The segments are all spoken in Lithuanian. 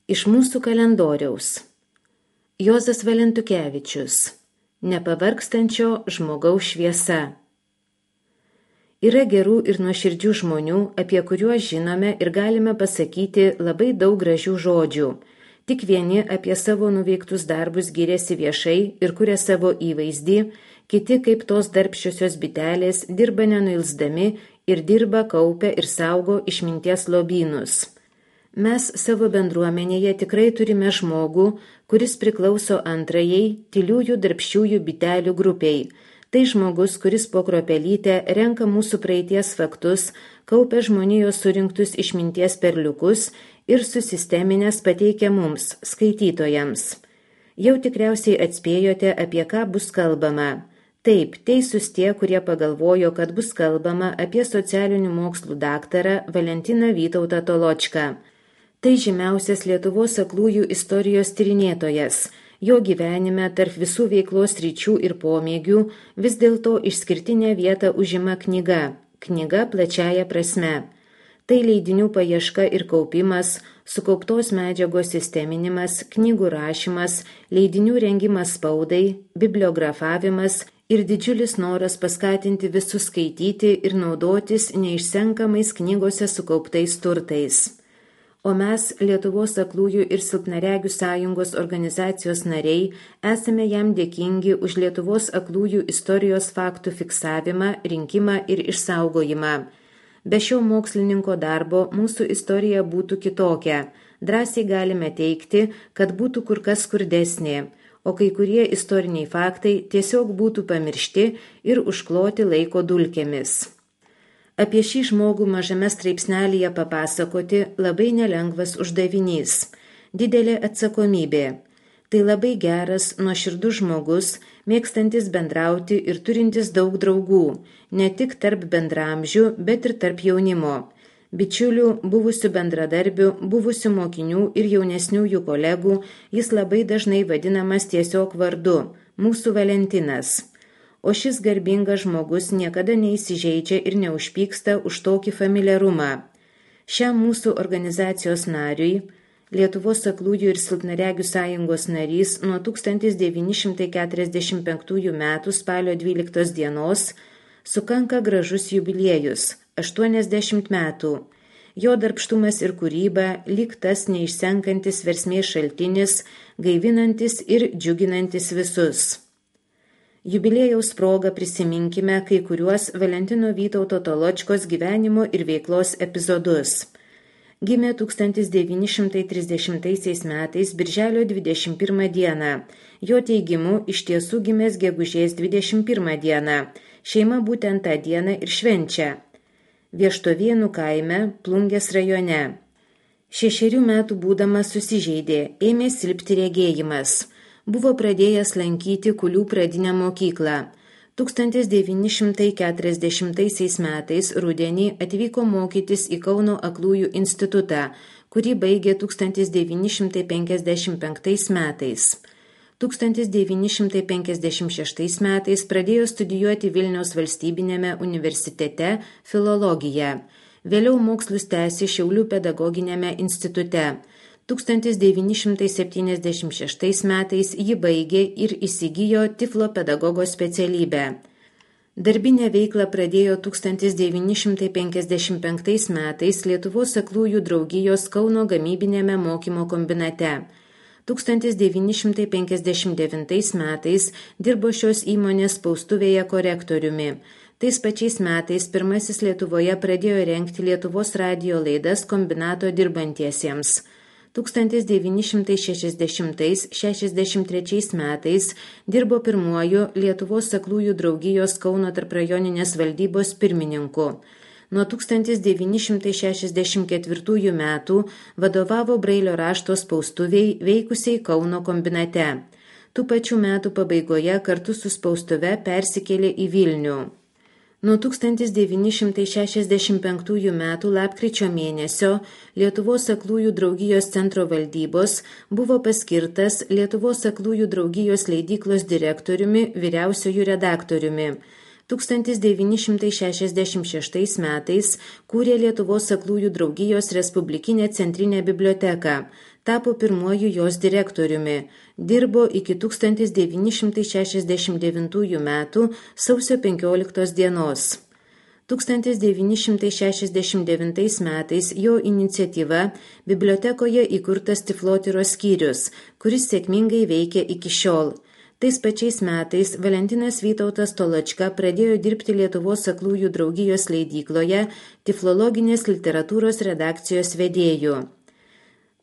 Iš mūsų kalendoriaus. Juozas Valentukevičius. Nepavargstančio žmogaus šviesa. Yra gerų ir nuoširdžių žmonių, apie kuriuos žinome ir galime pasakyti labai daug gražių žodžių. Tik vieni apie savo nuveiktus darbus giriasi viešai ir kuria savo įvaizdį, kiti kaip tos darbščiosios bitelės dirba nenuilsdami ir dirba, kaupia ir saugo išminties lobynus. Mes savo bendruomenėje tikrai turime žmogų, kuris priklauso antrajai tyliųjų darbščiųjų bitelių grupiai. Tai žmogus, kuris po kruopelytę renka mūsų praeities faktus, kaupia žmonijos surinktus išminties perliukus ir susisteminės pateikia mums, skaitytojams. Jau tikriausiai atspėjote, apie ką bus kalbama. Taip, teisūs tie, kurie pagalvojo, kad bus kalbama apie socialinių mokslų daktarą Valentiną Vytautą Toločką. Tai žymiausias Lietuvos aklųjų istorijos tyrinėtojas. Jo gyvenime tarp visų veiklos ryčių ir pomėgių vis dėlto išskirtinę vietą užima knyga. Knyga plačiaja prasme. Tai leidinių paieška ir kaupimas, sukauptos medžiagos sisteminimas, knygų rašymas, leidinių rengimas spaudai, bibliografavimas ir didžiulis noras paskatinti visus skaityti ir naudotis neišsenkamais knygose sukauptais turtais. O mes, Lietuvos aklųjų ir silpnaregių sąjungos organizacijos nariai, esame jam dėkingi už Lietuvos aklųjų istorijos faktų fiksavimą, rinkimą ir išsaugojimą. Be šio mokslininko darbo mūsų istorija būtų kitokia. Drąsiai galime teigti, kad būtų kur kas skurdesnė, o kai kurie istoriniai faktai tiesiog būtų pamiršti ir užkloti laiko dulkėmis. Apie šį žmogų mažame straipsnelyje papasakoti labai nelengvas uždavinys, didelė atsakomybė. Tai labai geras, nuoširdus žmogus, mėgstantis bendrauti ir turintis daug draugų, ne tik tarp bendramžių, bet ir tarp jaunimo. Bičiulių, buvusių bendradarbių, buvusių mokinių ir jaunesniųjų kolegų jis labai dažnai vadinamas tiesiog vardu – mūsų Valentinas. O šis garbingas žmogus niekada neįsižeidžia ir neužpyksta už tokį familiarumą. Šiam mūsų organizacijos nariui, Lietuvos aklųjų ir silpnaregių sąjungos narys nuo 1945 m. spalio 12 dienos, sukanka gražus jubiliejus – 80 metų. Jo darbštumas ir kūryba lyg tas neišsenkantis versmės šaltinis, gaivinantis ir džiuginantis visus. Jubiliejaus proga prisiminkime kai kuriuos Valentino Vytauto Toločkos gyvenimo ir veiklos epizodus. Gimė 1930 metais birželio 21 dieną. Jo teigimu iš tiesų gimęs gegužės 21 dieną. Šeima būtent tą dieną ir švenčia. Vieštovėnų kaime, Plungės rajone. 6 metų būdamas susižeidė, ėmė silpti regėjimas. Buvo pradėjęs lankyti Kulių pradinę mokyklą. 1940 metais rudenį atvyko mokytis į Kauno aklųjų institutą, kurį baigė 1955 metais. 1956 metais pradėjo studijuoti Vilniaus valstybinėme universitete filologiją. Vėliau mokslus tęsė Šiaulių pedagoginiame institute. 1976 metais ji baigė ir įsigijo tiflo pedagogo specialybę. Darbinę veiklą pradėjo 1955 metais Lietuvos aklųjų draugijos Kauno gamybinėme mokymo kombinate. 1959 metais dirbo šios įmonės spaustuvėje korektoriumi. Tais pačiais metais pirmasis Lietuvoje pradėjo rengti Lietuvos radijo laidas kombinato dirbantiesiems. 1960–63 metais dirbo pirmuoju Lietuvos aklųjų draugijos Kauno tarprajoninės valdybos pirmininku. Nuo 1964 metų vadovavo Brailio rašto spaustuviai veikusiai Kauno kombinate. Tų pačių metų pabaigoje kartu su spaustuve persikėlė į Vilnių. Nuo 1965 metų lapkričio mėnesio Lietuvos aklųjų draugijos centro valdybos buvo paskirtas Lietuvos aklųjų draugijos leidyklos direktoriumi, vyriausiuoju redaktoriumi. 1966 metais kūrė Lietuvos aklųjų draugijos Respublikinę centrinę biblioteką, tapo pirmuoju jos direktoriumi, dirbo iki 1969 metų sausio 15 dienos. 1969 metais jo iniciatyva bibliotekoje įkurtas tiflotyros skyrius, kuris sėkmingai veikia iki šiol. Tais pačiais metais Valentinas Vytautas Toločka pradėjo dirbti Lietuvos aklųjų draugijos leidykloje tiflologinės literatūros redakcijos vedėju.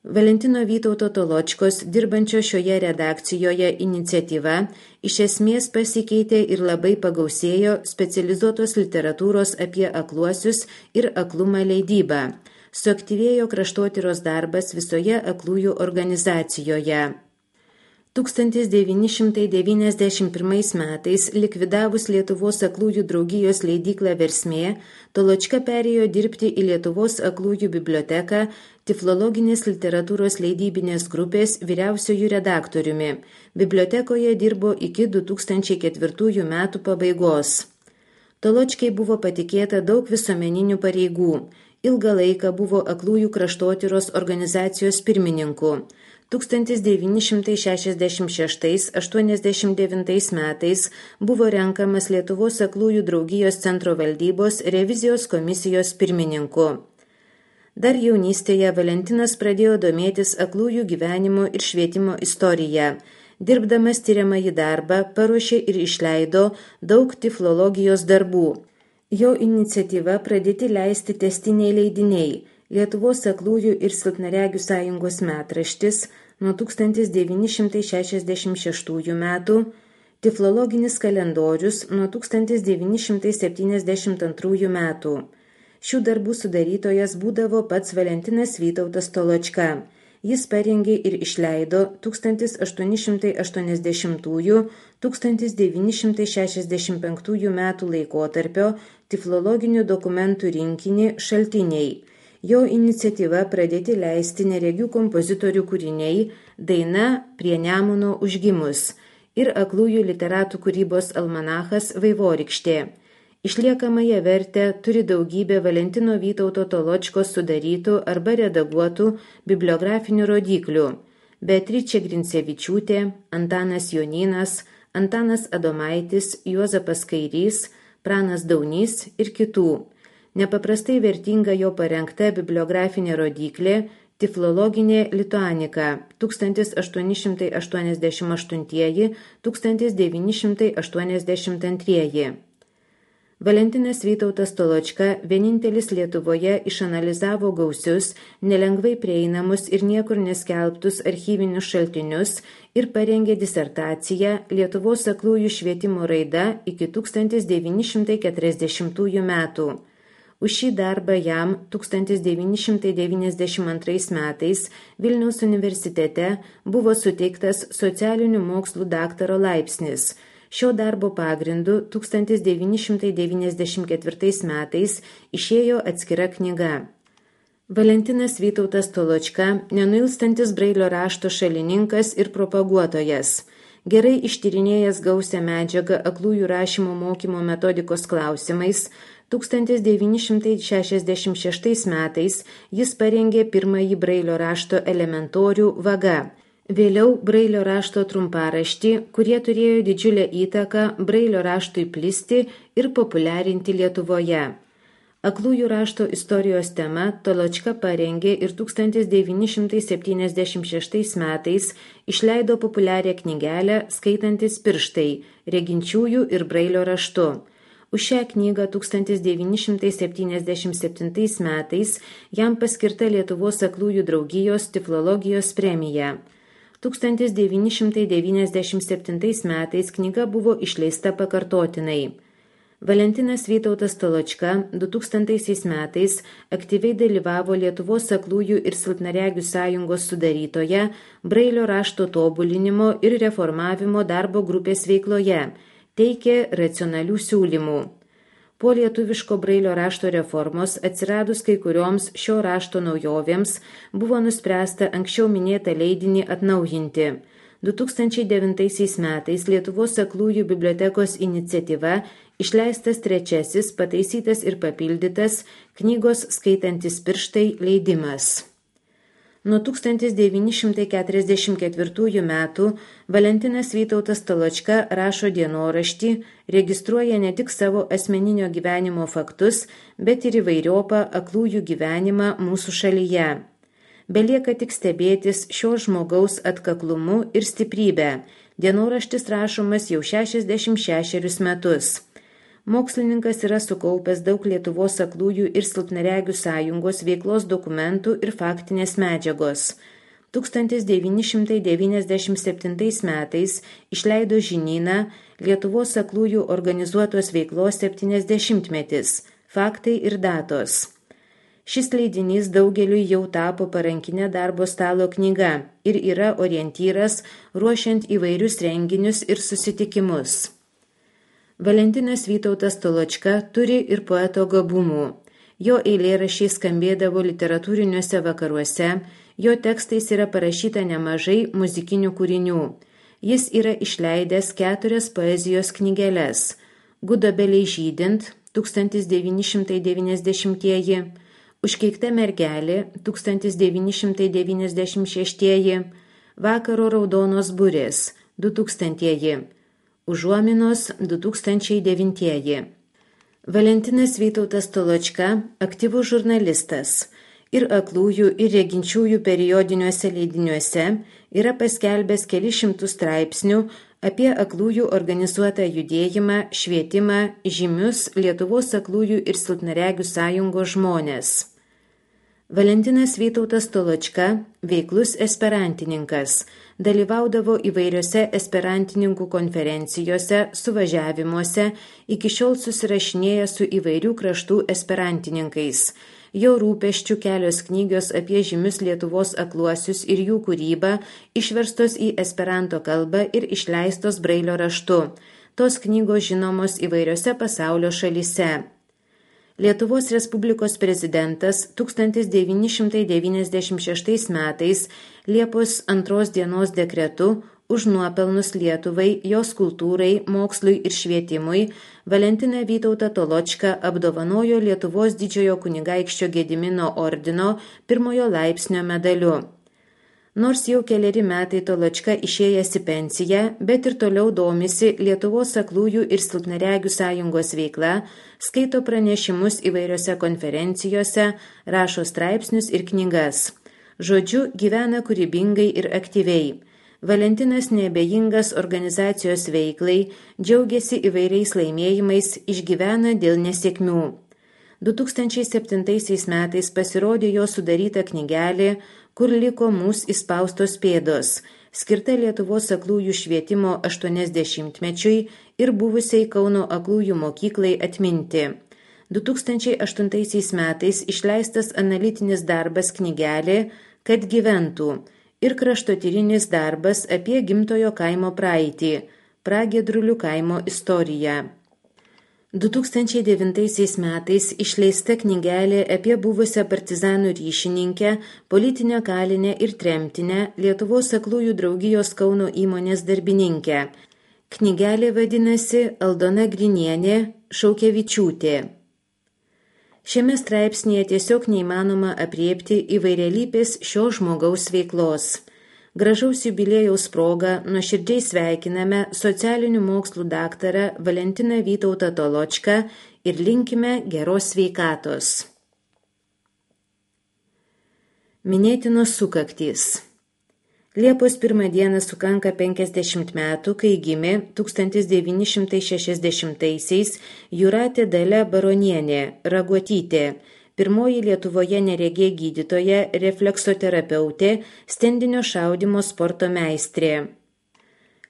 Valentino Vytauto Toločkos dirbančio šioje redakcijoje iniciatyva iš esmės pasikeitė ir labai pagausėjo specializuotos literatūros apie akluosius ir aklumą leidybą. Suaktyvėjo kraštotyros darbas visoje aklųjų organizacijoje. 1991 metais likvidavus Lietuvos aklųjų draugijos leidyklą Versmė, Toločka perėjo dirbti į Lietuvos aklųjų biblioteką tiflologinės literatūros leidybinės grupės vyriausiojų redaktoriumi. Bibliotekoje dirbo iki 2004 metų pabaigos. Toločkai buvo patikėta daug visuomeninių pareigų. Ilgą laiką buvo aklųjų kraštotyros organizacijos pirmininku. 1966–89 metais buvo renkamas Lietuvos aklųjų draugijos centro valdybos revizijos komisijos pirmininku. Dar jaunystėje Valentinas pradėjo domėtis aklųjų gyvenimo ir švietimo istoriją. Dirbdamas tiriamąjį darbą paruošė ir išleido daug tiflologijos darbų. Jo iniciatyva pradėti leisti tęstiniai leidiniai Lietuvos aklųjų ir silpnaregių sąjungos metraštis nuo 1966 metų, tiflologinis kalendorius nuo 1972 metų. Šių darbų sudarytojas būdavo pats Valentinas Vytautas Toločka. Jis parengė ir išleido 1880–1965 metų laikotarpio tiflologinių dokumentų rinkinį Šaltiniai. Jo iniciatyva pradėti leisti neregių kompozitorių kūriniai Daina prie Nemuno užgimus ir aklųjų literatų kūrybos almanachas Vaivorykštė. Išliekamąją vertę turi daugybė Valentino Vytauto Toločkos sudarytų arba redaguotų bibliografinių rodyklių – Beatričė Grincevičiūtė, Antanas Jonynas, Antanas Adomaitis, Juozapas Kairys, Pranas Daunys ir kitų. Nepaprastai vertinga jo parengta bibliografinė rodyklė Tiflologinė lituanika 1888–1982. Valentinas Vytautas Toločka vienintelis Lietuvoje išanalizavo gausius, nelengvai prieinamus ir niekur neskelbtus archyvinius šaltinius ir parengė disertaciją Lietuvos aklųjų švietimo raida iki 1940 metų. Už šį darbą jam 1992 metais Vilniaus universitete buvo suteiktas socialinių mokslų daktaro laipsnis. Šio darbo pagrindu 1994 metais išėjo atskira knyga. Valentinas Vytautas Toločka, nenuilstantis Brailio rašto šalininkas ir propaguotojas. Gerai ištyrinėjęs gausią medžiagą aklųjų rašymo mokymo metodikos klausimais, 1966 metais jis parengė pirmąjį Brailio rašto elementorių Vaga. Vėliau Brailio rašto trumparaštį, kurie turėjo didžiulę įtaką Brailio raštui plisti ir populiarinti Lietuvoje. Aklųjų rašto istorijos tema Toločka parengė ir 1976 metais išleido populiarią knygelę Skaitantis pirštai, reginčiųjų ir Brailio raštu. Už šią knygą 1977 metais jam paskirta Lietuvos aklųjų draugijos tiflologijos premija. 1997 metais knyga buvo išleista pakartotinai. Valentinas Vytautas Toločka 2000 metais aktyviai dalyvavo Lietuvos aklųjų ir silpnaregių sąjungos sudarytoje Brailio rašto tobulinimo ir reformavimo darbo grupės veikloje, teikė racionalių siūlymų. Po lietuviško Brailio rašto reformos atsiradus kai kurioms šio rašto naujovėms buvo nuspręsta anksčiau minėtą leidinį atnaujinti. 2009 metais Lietuvos aklųjų bibliotekos iniciatyva išleistas 3. pataisytas ir papildytas knygos Skaitantis pirštai leidimas. Nuo 1944 metų Valentinas Vytautas Toločka rašo dienoraštį, registruoja ne tik savo asmeninio gyvenimo faktus, bet ir įvairiopą aklųjų gyvenimą mūsų šalyje. Belieka tik stebėtis šio žmogaus atkaklumu ir stiprybę. Dienoraštis rašomas jau 66 metus. Mokslininkas yra sukaupęs daug Lietuvos aklųjų ir silpnaregių sąjungos veiklos dokumentų ir faktinės medžiagos. 1997 metais išleido žinyną Lietuvos aklųjų organizuotos veiklos 70-metis – faktai ir datos. Šis leidinys daugeliui jau tapo parankinė darbo stalo knyga ir yra orientyras ruošiant įvairius renginius ir susitikimus. Valentinas Vytautas Toločka turi ir poeto gabumų. Jo eilėraščiai skambėdavo literatūriniuose vakaruose, jo tekstais yra parašyta nemažai muzikinių kūrinių. Jis yra išleidęs 4 poezijos knygeles – Gudobelei žydint 1990-ieji, Užkeikta mergelė 1996-ieji, Vakaro raudonos burės 2000-ieji, Užuominos 2009-ieji. Valentinas Vytautas Toločka aktyvus žurnalistas ir aklųjų ir reginčiųjų periodiniuose leidiniuose yra paskelbęs kelis šimtus straipsnių apie aklųjų organizuotą judėjimą, švietimą, žymius Lietuvos aklųjų ir silpnaregių sąjungos žmonės. Valentinas Vytautas Toločka veiklus esperantininkas, dalyvaudavo įvairiose esperantininkų konferencijose, suvažiavimuose, iki šiol susirašinėja su įvairių kraštų esperantininkais. Jo rūpesčių kelios knygos apie žymius Lietuvos akluosius ir jų kūrybą išverstos į esperanto kalbą ir išleistos brailio raštu. Tos knygos žinomos įvairiose pasaulio šalyse. Lietuvos Respublikos prezidentas 1996 metais Liepos 2 dienos dekretu už nuopelnus Lietuvai, jos kultūrai, mokslui ir švietimui Valentiną Vytautą Toločką apdovanojo Lietuvos didžiojo kunigaikščio Gedimino ordino 1 laipsnio medaliu. Nors jau keleri metai Toločka išėjęs į pensiją, bet ir toliau domisi Lietuvos aklųjų ir silpnaregių sąjungos veikla, skaito pranešimus įvairiose konferencijose, rašo straipsnius ir knygas. Žodžiu, gyvena kūrybingai ir aktyviai. Valentinas neabejingas organizacijos veiklai, džiaugiasi įvairiais laimėjimais, išgyvena dėl nesėkmių. 2007 metais pasirodė jo sudaryta knygelė Kur liko mūsų įspaustos pėdos, skirta Lietuvos aklųjų švietimo 80-mečiui ir buvusiai Kauno aklųjų mokyklai atminti. 2008 metais išleistas analitinis darbas knygelė Kad gyventų ir kraštotyrinis darbas apie gimtojo kaimo praeitį, Pragiedrulių kaimo istoriją. 2009 metais išleista knygelė apie buvusią partizanų ryšininkę, politinę kalinę ir tremtinę Lietuvos aklųjų draugijos Kauno įmonės darbininkę. Knygelė vadinasi Aldona Grinienė Šaukevičiūtė. Šiame straipsnėje tiesiog neįmanoma aprėpti įvairialypės šio žmogaus veiklos. Gražaus jubiliejaus proga nuoširdžiai sveikiname socialinių mokslų daktarą Valentiną Vytautą Toločką ir linkime geros sveikatos. Minėtinos sukaktys. Liepos 1 dieną sukanka 50 metų, kai gimė 1960-aisiais Jūratė Dalia Baronienė Raguotytė, pirmoji Lietuvoje neregė gydytoja, refleksoterapeutė, stendinio šaudymo sporto meistrė.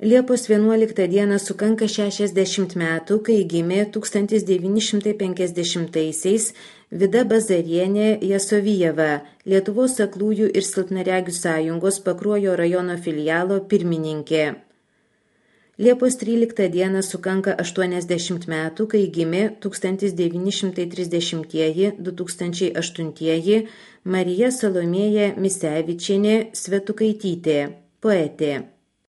Liepos 11 dieną sukanka 60 metų, kai gimė 1950-aisiais Vida Bazarienė Jasovijeva, Lietuvos aklųjų ir silpnaregių sąjungos Pakruojo rajono filialo pirmininkė. Liepos 13 dieną sukanka 80 metų, kai gimė 1930-2008 Marija Salomėja Misevičienė Svetukaitytė, poetė.